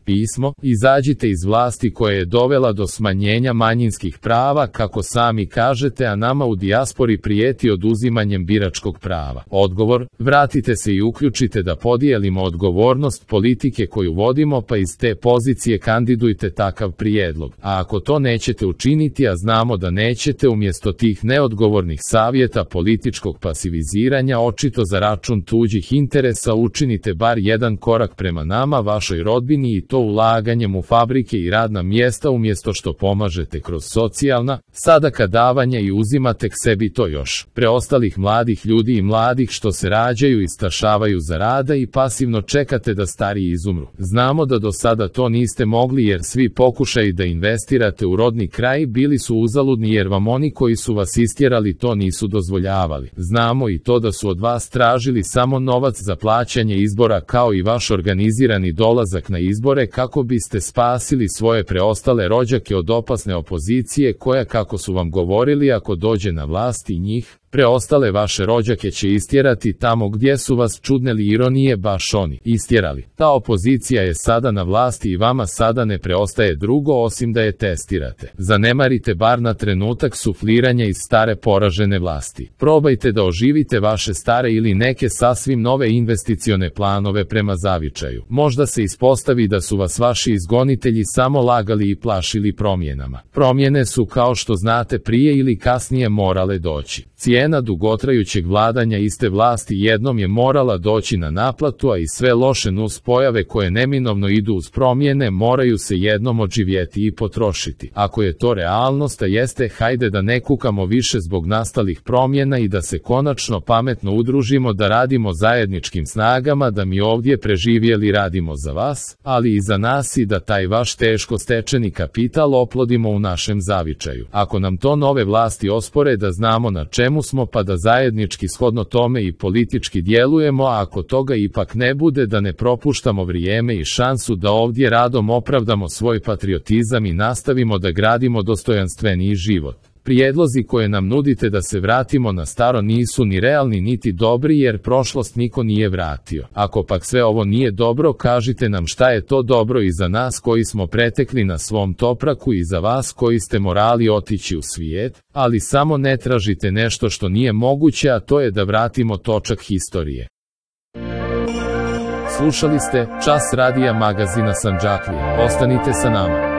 pismo, izađite iz vlasti koja je dovela do smanjenja manjinskih prava, kako sami kažete, a nama u dijaspori prijeti oduzimanjem biračkog prava. Odgovor: vratite se i uključite da podijelimo odgovornost politike koju vodimo, pa iz te pozicije kandidujte takav prijedlog. A ako to nećete učiniti, a znamo da nećete, umjesto tih neodgovornih savjeta političkog pasiviziranja očito za račun tuđih interesa, učinite bar jedan korak prema nama, vašoj rodbini, i to ulaganjem u fabrike i radna mjesta, umjesto što pomažete kroz socijalna, sadaka davanja i uzimate k sebi to još preostalih mladih ljudi i mladih što se rađaju i stašavaju za rada i pasivno čekate da stariji izumru. Znamo da do sada to niste mogli, jer svi pokušaji da investirate u rodni kraj bili su uzaludni, jer vam oni koji su vas istjerali to nisu dozvoljavali. Znamo i to da su od vas tražili samo novac za plaćanje izbora, kao i vaš organizirani dolazak na izbore, kako biste spasili svoje preostale rođake od opasne opozicije koja, kako su vam govorili, ako dođe na vlast i njih preostale vaše rođake će istjerati tamo gdje su vas, čudne li ironije, baš oni istjerali. Ta opozicija je sada na vlasti i vama sada ne preostaje drugo osim da je testirate. Zanemarite bar na trenutak sufliranja iz stare poražene vlasti. Probajte da oživite vaše stare ili neke sasvim nove investicione planove prema zavičaju. Možda se ispostavi da su vas vaši izgonitelji samo lagali i plašili promjenama. Promjene su, kao što znate, prije ili kasnije morale doći. Cijena dugotrajućeg vladanja iste vlasti jednom je morala doći na naplatu, a i sve loše nuspojave koje neminovno idu uz promjene moraju se jednom odživjeti i potrošiti. Ako je to realnost, a jeste, hajde da ne kukamo više zbog nastalih promjena i da se konačno pametno udružimo, da radimo zajedničkim snagama, da mi ovdje preživjeli radimo za vas, ali i za nas, i da taj vaš teško stečeni kapital oplodimo u našem zavičaju. Ako nam to nove vlasti ospore, da znamo na čemu smo, pa da zajednički shodno tome i politički djelujemo, a ako toga ipak ne bude, da ne propuštamo vrijeme i šansu da ovdje radom opravdamo svoj patriotizam i nastavimo da gradimo dostojanstveniji život. Prijedlozi koje nam nudite da se vratimo na staro nisu ni realni niti dobri, jer prošlost niko nije vratio. Ako pak sve ovo nije dobro, kažite nam šta je to dobro i za nas koji smo pretekli na svom topraku i za vas koji ste morali otići u svijet, ali samo ne tražite nešto što nije moguće, a to je da vratimo točak historije. Slušali ste Čas radija magazina Sandžaklija. Ostanite sa nama.